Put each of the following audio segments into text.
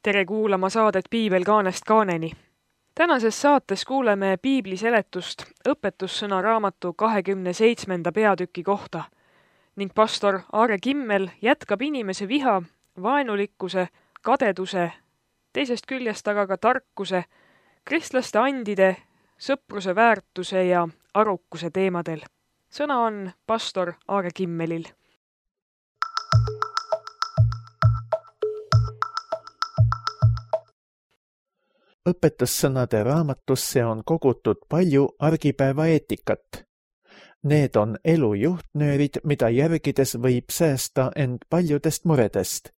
Tere kuulama saadet Piibel kaanest kaaneni. Tänases saates kuuleme piibli seletust õpetussõna raamatu 27. peatüki kohta ning pastor Aare Kimmel jätkab inimese viha, vaenulikkuse, kadeduse, teisest küljest aga ka tarkuse, kristlaste andide, sõpruse väärtuse ja arukuse teemadel. Sõna on pastor Aare Kimmelil. Õpetussõnade raamatusse on kogutud palju argipäeva eetikat. Need on elu juhtnöörid, mida järgides võib säästa end paljudest muredest.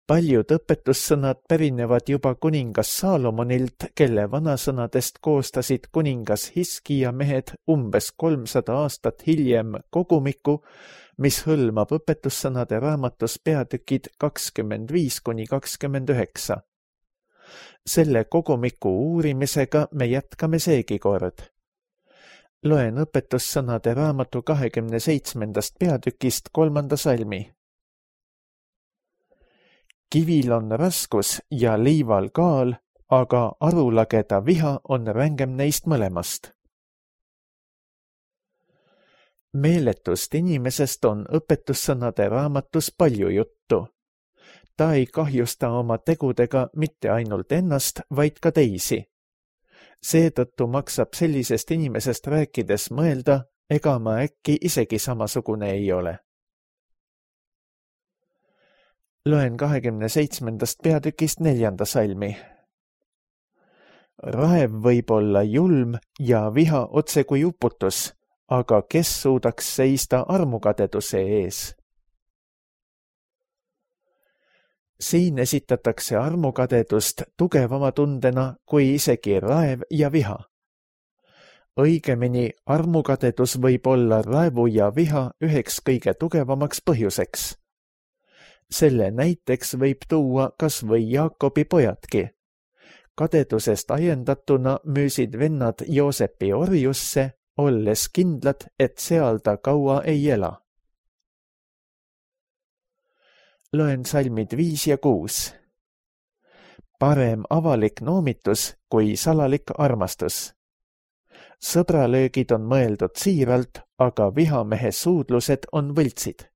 Paljud õpetussõnad pärinevad juba kuningas Saalomonilt, kelle vanasõnadest koostasid kuningas Hiskija mehed umbes 300 aastat hiljem kogumiku, mis hõlmab õpetussõnade raamatus peatükid 25–29. Selle kogumiku uurimisega me jätkame seegi kord. Loen õpetussõnade raamatu 27. peatükist 3. salmi. Kivil on raskus ja liival kaal, aga arulageda viha on rängem neist mõlemast. Meeletust inimesest on õpetussõnade raamatus palju juttu. Ta ei kahjusta oma tegudega mitte ainult ennast, vaid ka teisi. Seetõttu maksab sellisest inimesest rääkides mõelda, ega ma äkki isegi samasugune ei ole. Loen 27. peatükist 4. salmi. Raev võib olla julm ja viha otse kui uputus, aga kes suudaks seista armukadeduse ees? Siin esitatakse armukadedust tugevama tundena kui isegi raev ja viha. Õigemini, armukadedus võib olla raevu ja viha üheks kõige tugevamaks põhjuseks. Selle näiteks võib tuua kas või Jaakobi pojadki. Kadedusest ajendatuna müüsid vennad Joosepi orjusse, olles kindlad, et seal ta kaua ei ela. Loen salmid 5 ja 6. Parem avalik noomitus kui salalik armastus. Sõbralöögid on mõeldud siiralt, aga vihamehe suudlused on võltsid.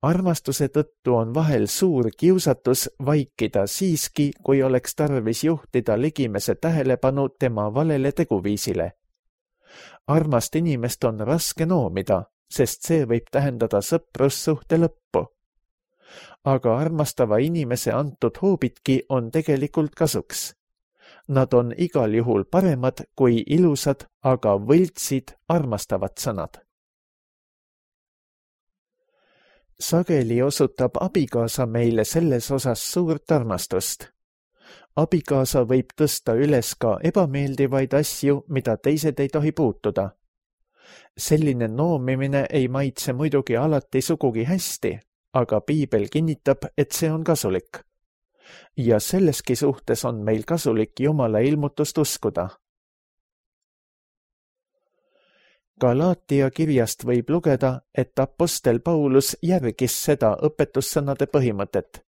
Armastuse tõttu on vahel suur kiusatus vaikida siiski, kui oleks tarvis juhtida ligimese tähelepanu tema valele teguviisile. Armast inimest on raske noomida, sest see võib tähendada sõprussuhte lõppu. Aga armastava inimese antud hoobidki on tegelikult kasuks. Nad on igal juhul paremad kui ilusad, aga võltsid armastavad sõnad. Sageli osutab abikaasa meile selles osas suurt armastust. Abikaasa võib tõsta üles ka ebameeldivaid asju, mida teised ei tohi puutuda. Selline noomimine ei maitse muidugi alati sugugi hästi, aga piibel kinnitab, et see on kasulik. Ja selleski suhtes on meil kasulik Jumala ilmutust uskuda. Galaatia kirjast võib lugeda, et apostel Paulus järgis seda õpetussõnade põhimõtet.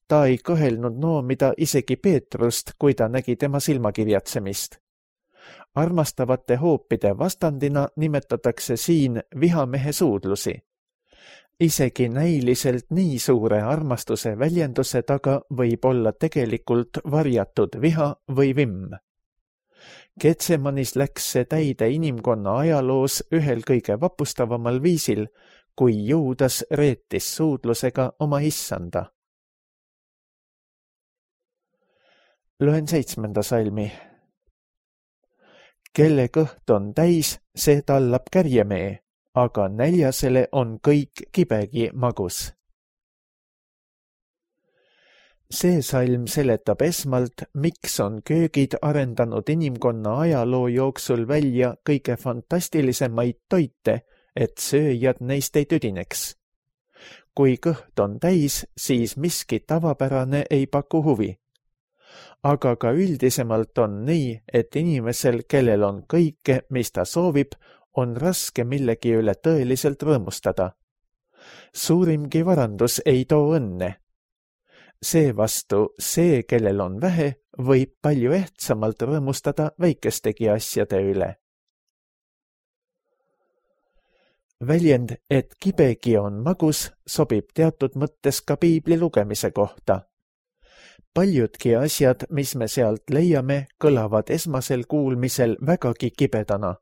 Ta ei kõhelnud noomida isegi Peetrust, kui ta nägi tema silmakirjatsemist. Armastavate hoopide vastandina nimetatakse siin vihamehe suudlusi. Isegi näiliselt nii suure armastuse väljenduse taga võib olla tegelikult varjatud viha või vimm. Getsemanis läks see täide inimkonna ajaloos ühel kõige vapustavamal viisil, kui Juudas reetis suudlusega oma issanda. Loen 7. salmi. Kelle kõht on täis, see tallab kärjemee, aga näljasele on kõik kibegi magus. See salm seletab esmalt, miks on köögid arendanud inimkonna ajaloo jooksul välja kõige fantastilisemaid toite, et sööjad neist ei tüdineks. Kui kõht on täis, siis miski tavapärane ei paku huvi. Aga ka üldisemalt on nii, et inimesel, kellel on kõike, mis ta soovib, on raske millegi üle tõeliselt rõõmustada. Suurimgi varandus ei too õnne. Seevastu see, kellel on vähe, võib palju ehtsamalt rõõmustada väikestegi asjade üle. Väljend, et kibegi on magus, sobib teatud mõttes ka piibli lugemise kohta. Paljudki asjad, mis me sealt leiame, kõlavad esmasel kuulmisel vägagi kibedana.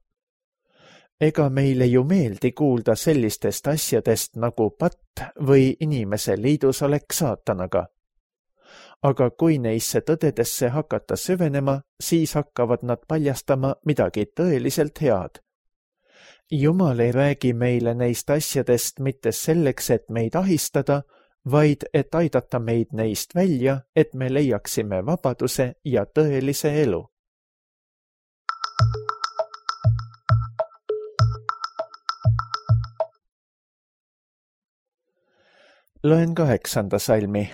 Ega meile ju meeldi kuulda sellistest asjadest nagu patt või inimese liidusolek saatanaga. Aga kui neisse tõdedesse hakata süvenema, siis hakkavad nad paljastama midagi tõeliselt head. Jumal ei räägi meile neist asjadest mitte selleks, et meid ahistada, vaid et aidata meid neist välja, et me leiaksime vabaduse ja tõelise elu. Loen 8. salmi.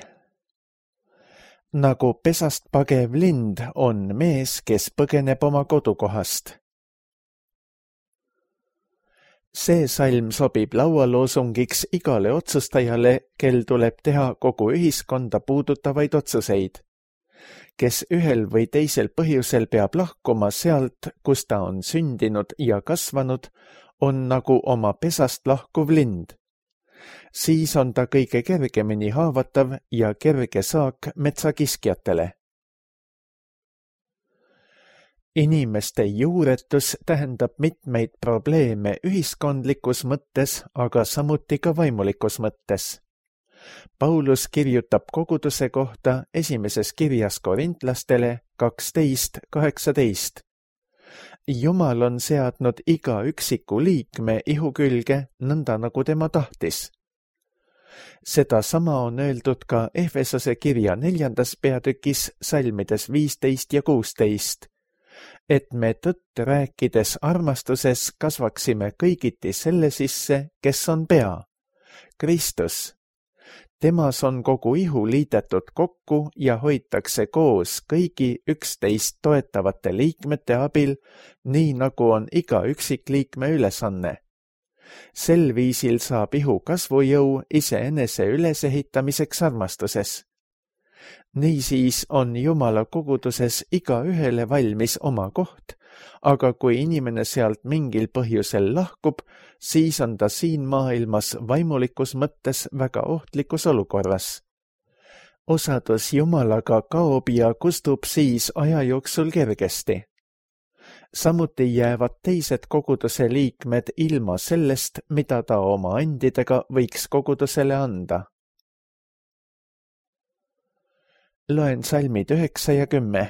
Nagu pesast pagev lind on mees, kes põgeneb oma kodukohast. See salm sobib laualoosungiks igale otsustajale, kel tuleb teha kogu ühiskonda puudutavaid otsuseid. Kes ühel või teisel põhjusel peab lahkuma sealt, kus ta on sündinud ja kasvanud, on nagu oma pesast lahkuv lind. Siis on ta kõige kergemini haavatav ja kerge saak metsakiskjatele. Inimeste juuretus tähendab mitmeid probleeme ühiskondlikus mõttes, aga samuti ka vaimulikus mõttes. Paulus kirjutab koguduse kohta esimeses kirjas korintlastele 12:18. Jumal on seadnud iga üksiku liikme ihu külge nõnda, nagu tema tahtis. Sedasama on öeldud ka Efesose kirja 4. peatükis salmides 15 ja 16. Et me tõtt rääkides armastuses kasvaksime kõigiti selle sisse, kes on pea, Kristus. Temas on kogu ihu liidetud kokku ja hoitakse koos kõigi üksteist toetavate liikmete abil, nii nagu on iga üksikliikme ülesanne. Sel viisil saab ihu kasvujõu iseenese ülesehitamiseks armastuses. Niisiis on Jumala koguduses igaühele valmis oma koht, aga kui inimene sealt mingil põhjusel lahkub, siis on ta siin maailmas vaimulikus mõttes väga ohtlikus olukorras. Osadus Jumalaga kaob ja kustub siis aja jooksul kergesti. Samuti jäävad teised koguduse liikmed ilma sellest, mida ta oma andidega võiks kogudusele anda. Loen salmid 9 ja 10.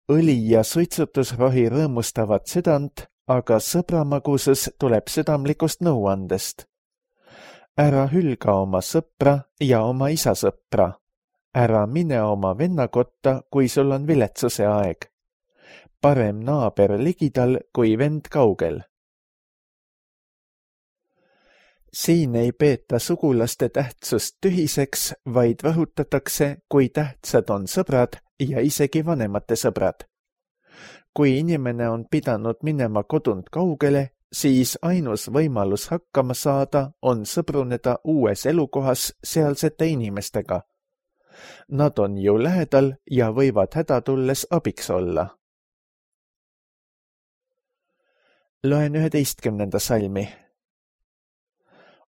Õli ja suitsutusrohi rõõmustavad südant, aga sõbramagusus tuleb südamlikust nõuandest. Ära hülga oma sõpra ja oma isa sõpra. Ära mine oma venna kotta, kui sul on viletsuse aeg. Parem naaber ligidal kui vend kaugel. Siin ei peeta sugulaste tähtsust tühiseks, vaid rõhutatakse, kui tähtsad on sõbrad ja isegi vanemate sõbrad. Kui inimene on pidanud minema kodunt kaugele, siis ainus võimalus hakkama saada on sõbruneda uues elukohas sealsete inimestega. Nad on ju lähedal ja võivad häda tulles abiks olla. Loen 11. salmi.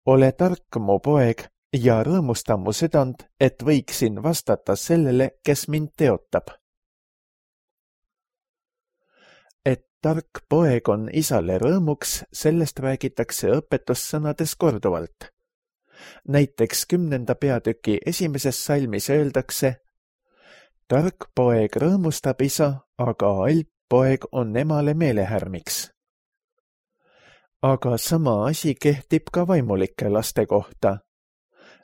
Ole tark, mu poeg, ja rõõmusta mu südant, et võiksin vastata sellele, kes mind teotab. Et tark poeg on isale rõõmuks, sellest räägitakse õpetussõnades korduvalt. Näiteks 10. peatüki 1. salmis öeldakse: tark poeg rõõmustab isa, aga alp poeg on emale meelehärmiks. Aga sama asi kehtib ka vaimulike laste kohta.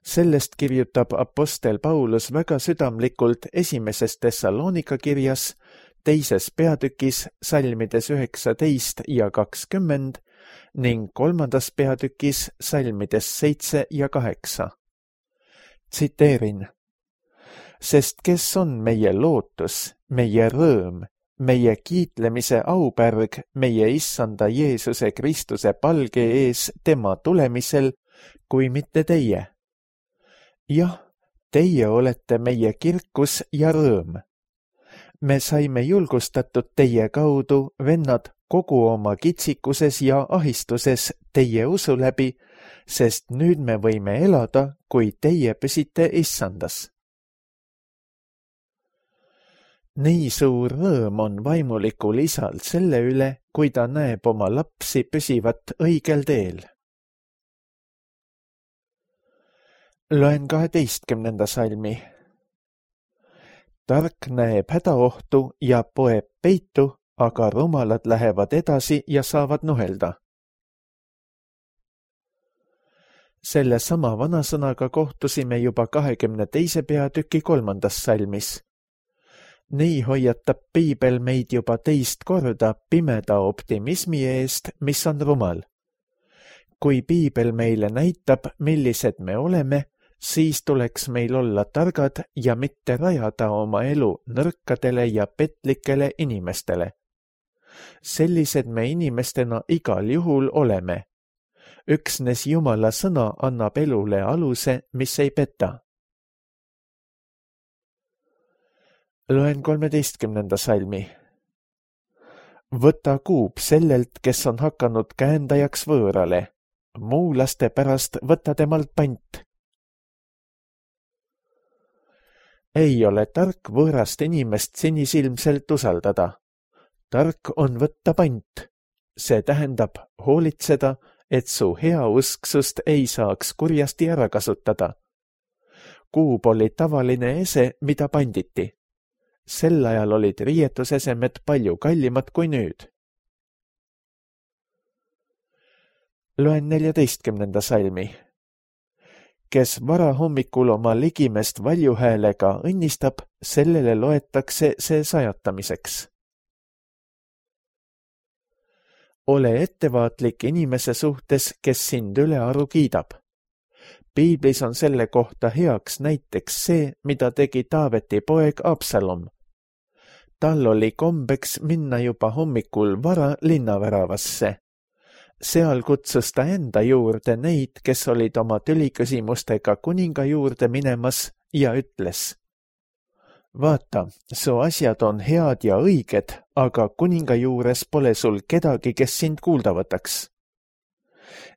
Sellest kirjutab apostel Paulus väga südamlikult 1. Thessalonika kirjas, 2. peatükis salmides 19 ja 20 ning 3. peatükis salmides 7 ja 8. Tsiteerin: sest kes on meie lootus, meie rõõm, meie kiitlemise aupärg meie issanda Jeesuse Kristuse palge ees tema tulemisel, kui mitte teie. Jah, teie olete meie kirkus ja rõõm. Me saime julgustatud teie kaudu, vennad, kogu oma kitsikuses ja ahistuses teie usu läbi, sest nüüd me võime elada, kui teie püsite issandas. Nii suur rõõm on vaimulikul isal selle üle, kui ta näeb oma lapsi püsivat õigel teel. Loen 12. salmi. Tark näeb hädaohtu ja poeb peitu, aga rumalad lähevad edasi ja saavad nuhelda. Selle sama vanasõnaga kohtusime juba 22. peatüki 3. salmis. Nii hoiatab piibel meid juba teist korda pimeda optimismi eest, mis on rumal. Kui piibel meile näitab, millised me oleme, siis tuleks meil olla targad ja mitte rajada oma elu nõrkadele ja petlikele inimestele. Sellised me inimestena igal juhul oleme. Üksnes Jumala sõna annab elule aluse, mis ei peta. Loen 13. salmi. Võta kuub sellelt, kes on hakanud käendajaks võõrale. Muulaste pärast võta temalt pant. Ei ole tark võõrast inimest sinisilmselt usaldada. Tark on võtta pant. See tähendab hoolitseda, et su heausksust ei saaks kurjasti ära kasutada. Kuub oli tavaline ese, mida panditi. Sel ajal olid riietusesemed palju kallimad kui nüüd. Loen 14. salmi. Kes varahommikul oma ligimest valjuhäälega õnnistab, sellele loetakse see sajatamiseks. Ole ettevaatlik inimese suhtes, kes sind ülearu kiidab. Piiblis on selle kohta heaks näiteks see, mida tegi Taaveti poeg Absalom. Tal oli kombeks minna juba hommikul vara linnaväravasse. Seal kutsus ta enda juurde neid, kes olid oma tüliküsimustega kuninga juurde minemas ja ütles: Vaata, su asjad on head ja õiged, aga kuninga juures pole sul kedagi, kes sind kuulda võtaks.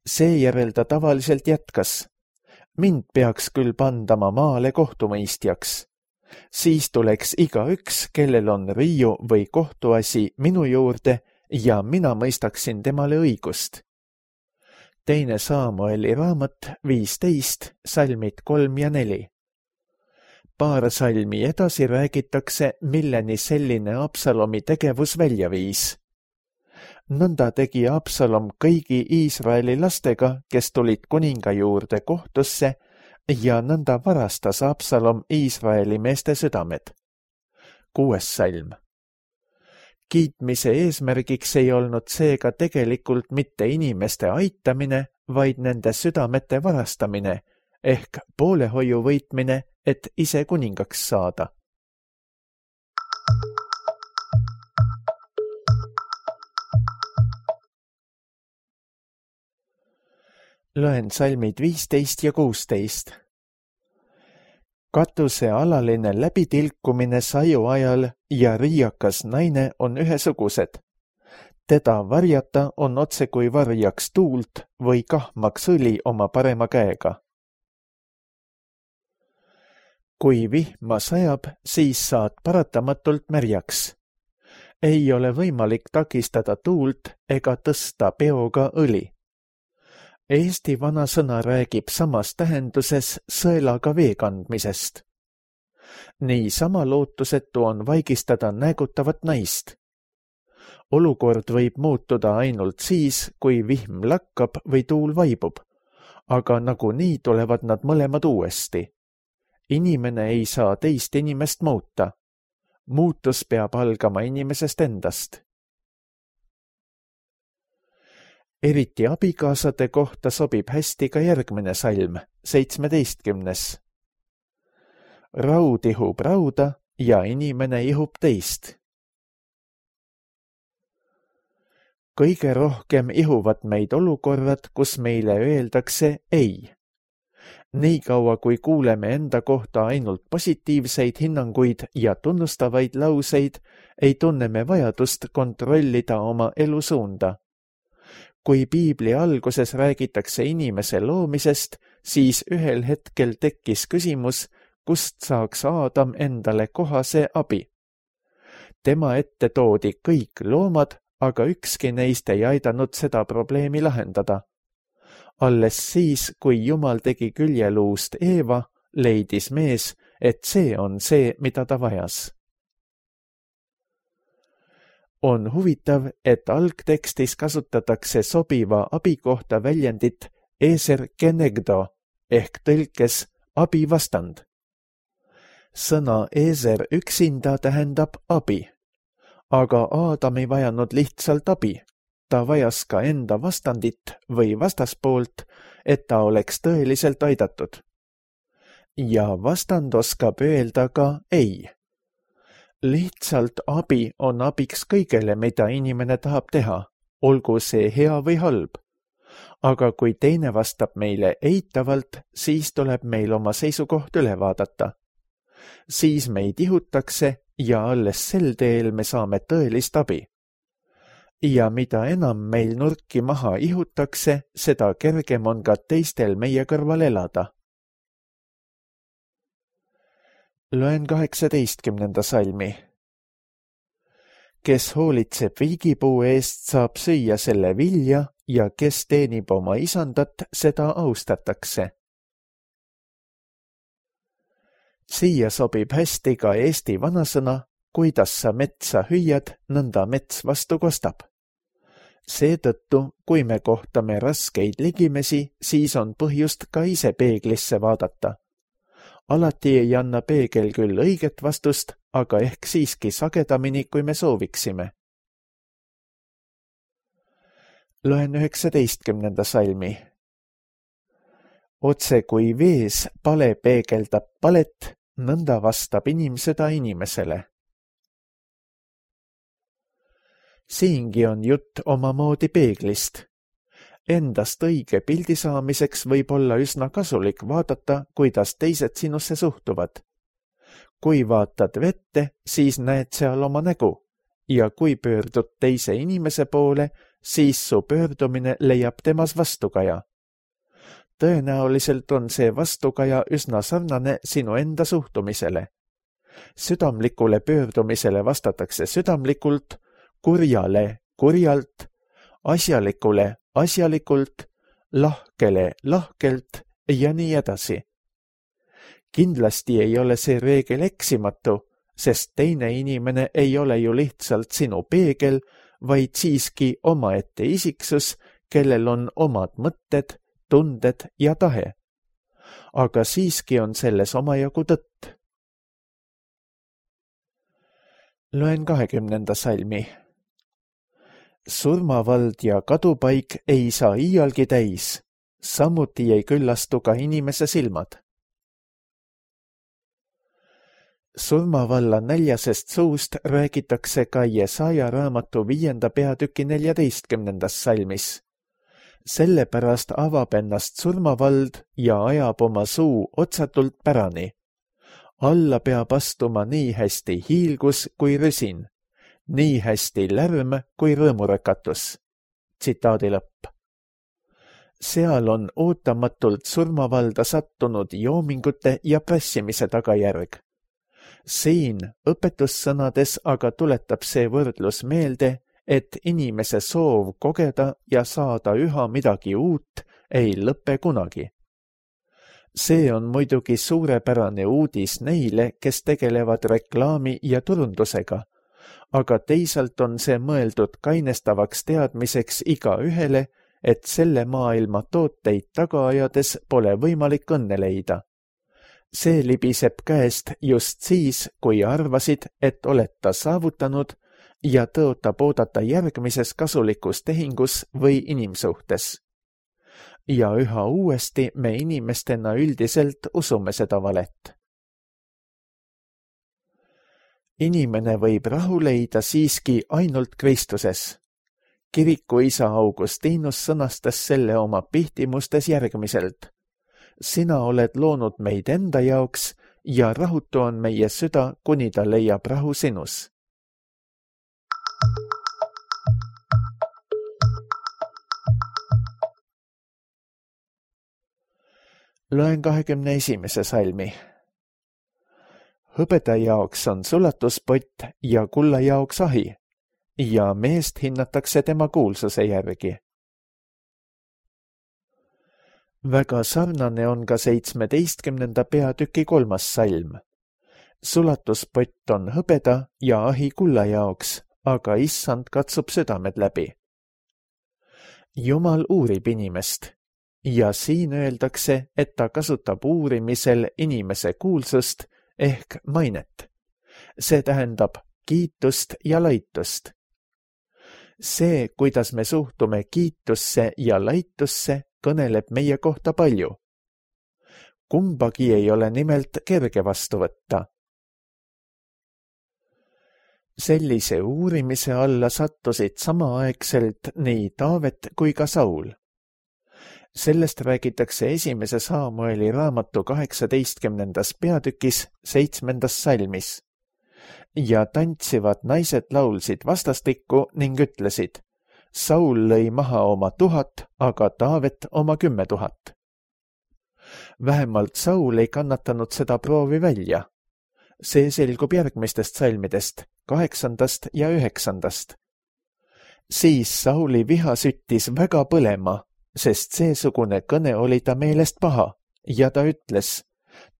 Seejärel ta tavaliselt jätkas: Mind peaks küll pandama maale kohtumõistjaks. Siis tuleks igaüks, kellel on riiu või kohtuasi minu juurde ja mina mõistaksin temale õigust. 2. Saamueli raamat 15, salmid 3 ja 4. Paar salmi edasi räägitakse, milleni selline Absalomi tegevus välja viis. Nõnda tegi Absalom kõigi Iisraeli lastega, kes tulid kuninga juurde kohtusse, ja nõnda varastas Absalom Iisraeli meeste südamed. 6. salm. Kiitmise eesmärgiks ei olnud seega tegelikult mitte inimeste aitamine, vaid nende südamete varastamine, ehk poolehoiu võitmine, et ise kuningaks saada. Loen salmid 15 ja 16. Katuse alaline läbitilkumine saju ajal ja riiakas naine on ühesugused. Teda varjata on otse kui varjaks tuult või kahmaks õli oma parema käega. Kui vihma sajab, siis saad paratamatult märjaks. Ei ole võimalik takistada tuult ega tõsta peoga õli. Eesti vanasõna räägib samas tähenduses sõelaga vee kandmisest. Nii sama lootusetu on vaigistada näägutavat naist. Olukord võib muutuda ainult siis, kui vihm lakkab või tuul vaibub, aga nagunii tulevad nad mõlemad uuesti. Inimene ei saa teist inimest muuta. Muutus peab algama inimesest endast. Eriti abikaasade kohta sobib hästi ka järgmine salm, 17. Raud ihub rauda ja inimene ihub teist. kõige rohkem ihuvad meid olukorrad, kus meile öeldakse ei. Niikaua, kui kuuleme enda kohta ainult positiivseid hinnanguid ja tunnustavaid lauseid, ei tunne me vajadust kontrollida oma elusuunda. Kui piibli alguses räägitakse inimese loomisest, siis ühel hetkel tekkis küsimus, kust saaks Aadam endale kohase abi. Tema ette toodi kõik loomad, aga ükski neist ei aidanud seda probleemi lahendada. Alles siis, kui Jumal tegi küljeluust Eeva, leidis mees, et see on see, mida ta vajas. On huvitav, et algtekstis kasutatakse sobiva abi kohta väljendit eser kenegdo ehk tõlkes abivastand. Sõna eser üksinda tähendab abi, aga Aadam ei vajanud lihtsalt abi. Ta vajas ka enda vastandit või vastaspoolt, et ta oleks tõeliselt aidatud. Ja vastand oskab öelda ka ei. Lihtsalt abi on abiks kõigele, mida inimene tahab teha, olgu see hea või halb. Aga kui teine vastab meile eitavalt, siis tuleb meil oma seisukoht üle vaadata. Siis meid ihutakse ja alles sel teel me saame tõelist abi. Ja mida enam meil nurki maha ihutakse, seda kergem on ka teistel meie kõrval elada. Loen 18. salmi. Kes hoolitseb viigipuu eest, saab süüa selle vilja ja kes teenib oma isandat, seda austatakse. Siia sobib hästi ka eesti vanasõna, kuidas sa metsa hüüad, nõnda mets vastu kostab. Seetõttu, kui me kohtame raskeid ligimesi, siis on põhjust ka ise peeglisse vaadata. Alati ei anna peegel küll õiget vastust, aga ehk siiski sagedamini, kui me sooviksime. Loen 19. salmi. Otse kui vees pale peegeldab palet, nõnda vastab inimseda inimesele. Siingi on jutt omamoodi peeglist. Endast õige pildi saamiseks võib olla üsna kasulik vaadata, kuidas teised sinusse suhtuvad. Kui vaatad vette, siis näed seal oma nägu ja kui pöördud teise inimese poole, siis su pöördumine leiab temas vastukaja. Tõenäoliselt on see vastukaja üsna sarnane sinu enda suhtumisele. Südamlikule pöördumisele vastatakse südamlikult, kurjale kurjalt, asjalikule asjalikult, lahkele lahkelt ja nii edasi. Kindlasti ei ole see reegel eksimatu, sest teine inimene ei ole ju lihtsalt sinu peegel, vaid siiski omaette isiksus, kellel on omad mõtted, tunded ja tahe. Aga siiski on selles omajagu tõtt. Loen 20. salmi. Surmavald ja kadupaik ei saa iialgi täis, samuti ei küllastu ka inimese silmad. Surmavalla näljasest suust räägitakse ka Jesaja raamatu 5. peatüki 14. salmis. Sellepärast avab ennast surmavald ja ajab oma suu otsatult pärani. Alla peab astuma nii hästi hiilgus kui rüsin, nii hästi lärm kui rõõmurõkatus. Tsitaadi lõpp. Seal on ootamatult surmavalda sattunud joomingute ja prassimise tagajärg. Siin õpetussõnades aga tuletab see võrdlus meelde, et inimese soov kogeda ja saada üha midagi uut ei lõpe kunagi. See on muidugi suurepärane uudis neile, kes tegelevad reklaami ja turundusega, aga teisalt on see mõeldud kainestavaks teadmiseks igaühele, et selle maailma tooteid taga ajades pole võimalik õnne leida. See libiseb käest just siis, kui arvasid, et oled ta saavutanud ja tõotab oodata järgmises kasulikus tehingus või inimsuhtes. Ja üha uuesti me inimestena üldiselt usume seda valet. Inimene võib rahu leida siiski ainult Kristuses. Kirikuisa Augustinus sõnastas selle oma pihtimustes järgmiselt. Sina oled loonud meid enda jaoks ja rahutu on meie süda, kuni ta leiab rahu sinus. Loen 21. salmi. Hõbeda jaoks on sulatuspott ja kulla jaoks ahi ja meest hinnatakse tema kuulsuse järgi. Väga sarnane on ka 17. peatüki 3. salm. Sulatuspott on hõbeda ja ahi kulla jaoks, aga issand katsub südamed läbi. Jumal uurib inimest ja siin öeldakse, et ta kasutab uurimisel inimese kuulsust ehk mainet. See tähendab kiitust ja laitust. See, kuidas me suhtume kiitusse ja laitusse, kõneleb meie kohta palju. Kumbagi ei ole nimelt kerge vastu võtta. Sellise uurimise alla sattusid samaaegselt nii Taavet kui ka Saul. Sellest räägitakse 1. Saamueli raamatu 18. peatükis 7. salmis. Ja tantsivad naised laulsid vastastikku ning ütlesid, Saul lõi maha oma 1000, aga Taavet oma 10 000. Vähemalt Saul ei kannatanud seda proovi välja. See selgub järgmistest salmidest, 8. ja 9. Siis Sauli viha süttis väga põlema, sest seesugune kõne oli ta meelest paha ja ta ütles,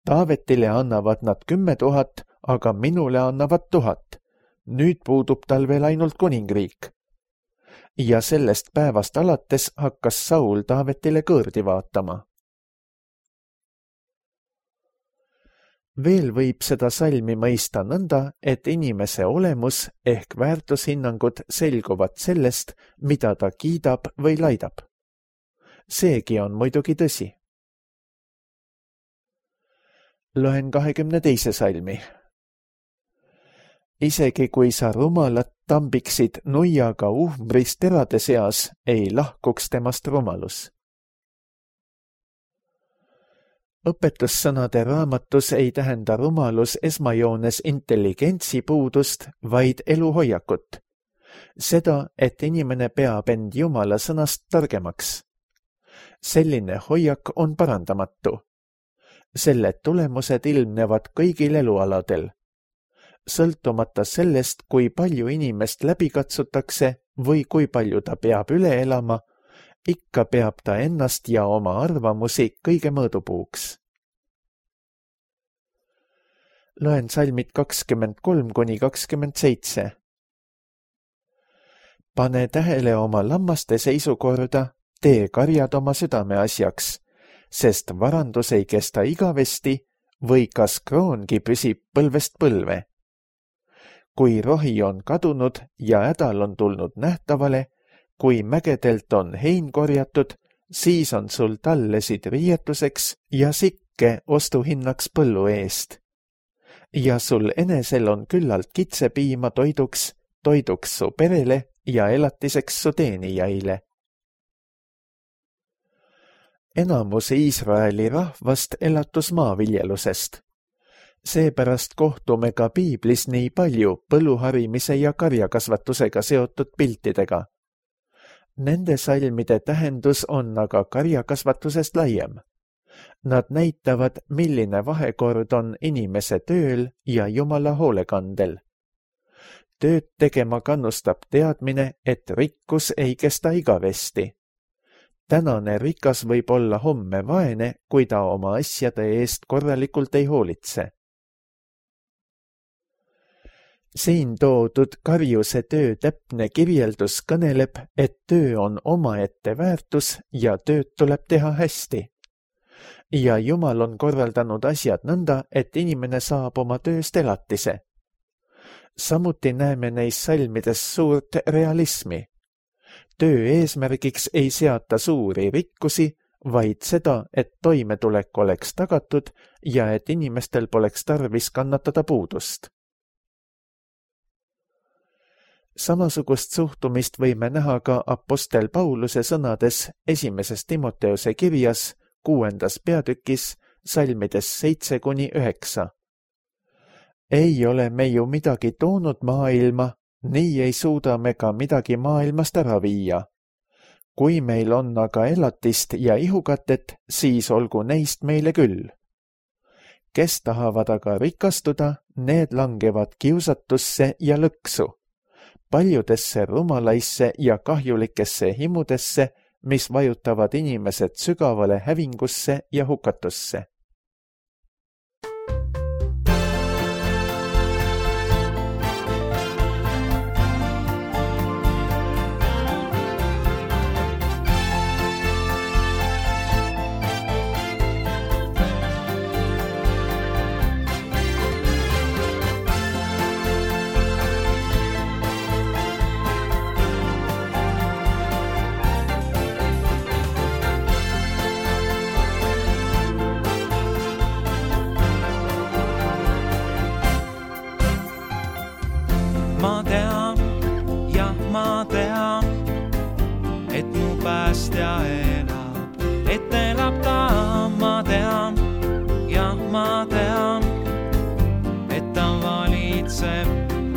Taavetile annavad nad 10 000, aga minule annavad 1000. Nüüd puudub tal veel ainult kuningriik. Ja sellest päevast alates hakkas Saul Taavetile kõõrdi vaatama. Veel võib seda salmi mõista nõnda, et inimese olemus ehk väärtushinnangud selguvad sellest, mida ta kiidab või laidab. Seegi on muidugi tõsi. Loen 22. salmi. Isegi kui sa rumalat tambiksid nuiaga uhmbris terade seas, ei lahkuks temast rumalus. Õpetussõnade raamatus ei tähenda rumalus esmajoones intelligentsi puudust, vaid eluhoiakut. Seda, et inimene peab end Jumala sõnast targemaks. Selline hoiak on parandamatu. Selle tulemused ilmnevad kõigil elualadel. Sõltumata sellest, kui palju inimest läbi katsutakse või kui palju ta peab üle elama, ikka peab ta ennast ja oma arvamusi kõige mõõdupuuks. Loen salmid 23–27. Pane tähele oma lammaste seisukorda, tee karjad oma südame asjaks, sest varandus ei kesta igavesti või kas kroongi püsib põlvest põlve. Kui rohi on kadunud ja hädal on tulnud nähtavale, kui mägedelt on hein korjatud, siis on sul tallesid riietuseks ja sikke ostuhinnaks põllu eest. Ja sul enesel on küllalt kitsepiima toiduks su perele ja elatiseks su teenijaile. Enamus Iisraeli rahvast elatus maaviljelusest. Seepärast kohtume ka piiblis nii palju põlluharimise ja karjakasvatusega seotud piltidega. Nende salmide tähendus on aga karjakasvatusest laiem. Nad näitavad, milline vahekord on inimese tööl ja Jumala hoolekandel. Tööd tegema kannustab teadmine, et rikkus ei kesta igavesti. Tänane rikas võib olla homme vaene, kui ta oma asjade eest korralikult ei hoolitse. Siin toodud karjuse töö täpne kirjeldus kõneleb, et töö on omaette väärtus ja tööd tuleb teha hästi. Ja Jumal on korraldanud asjad nõnda, et inimene saab oma tööst elatise. Samuti näeme neis salmides suurt realismi. Töö eesmärgiks ei seata suuri rikkusi, vaid seda, et toimetulek oleks tagatud ja et inimestel poleks tarvis kannatada puudust. Samasugust suhtumist võime näha ka apostel Pauluse sõnades 1. Timoteuse kirjas 6. peatükis salmides 7-9. Ei ole me ju midagi toonud maailma, nii ei suuda me ka midagi maailmast ära viia. Kui meil on aga elatist ja ihukatet, siis olgu neist meile küll. Kes tahavad aga rikastuda, need langevad kiusatusse ja lõksu, paljudesse rumalaisse ja kahjulikesse himudesse, mis vajutavad inimesed sügavale hävingusse ja hukatusse. Ma tean, et mu päästja elab, et elab ta, ma tean, et ta valitseb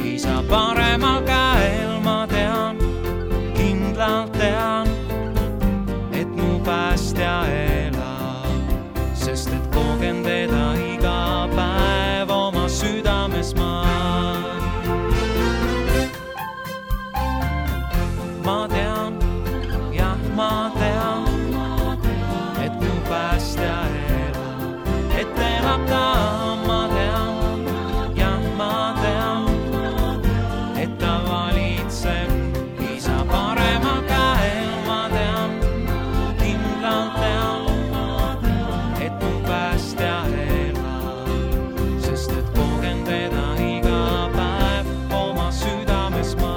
isa paremal käel, ma tean, kindlalt tean, et mu päästja elab, sest et kogen teda iga päev oma südames ma. Ma tean, et mu päästja elab, et elab ta, ma tean, et ta valitseb isa paremal käel, ma tean, kindlalt tean, et mu päästja elab, sest et kogen teda iga päev oma südames ma.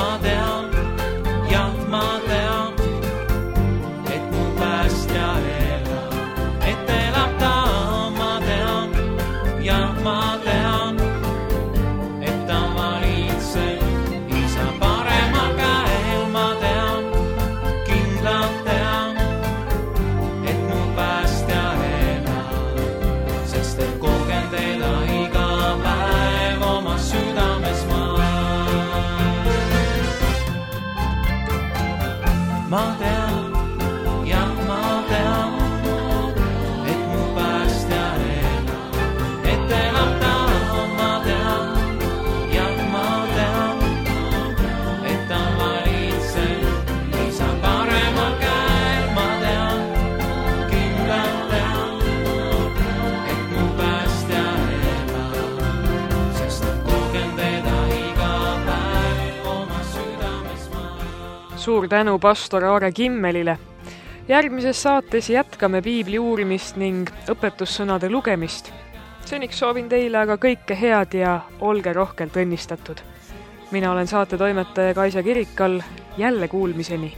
Ma tean, et mu päästja elab, et elab ta, ma tean, et ta valitseb isa paremal käel, ma tean, kindlalt tean, et mu päästja elab, sest et kogen teda iga päev oma südames ma. Suur tänu pastor Aare Kimmelile. Järgmises saates jätkame piibli uurimist ning õpetussõnade lugemist. Seniks soovin teile aga kõike head ja olge rohkelt õnnistatud. Mina olen saatetoimetaja Kaisa Kirikal, jälle kuulmiseni.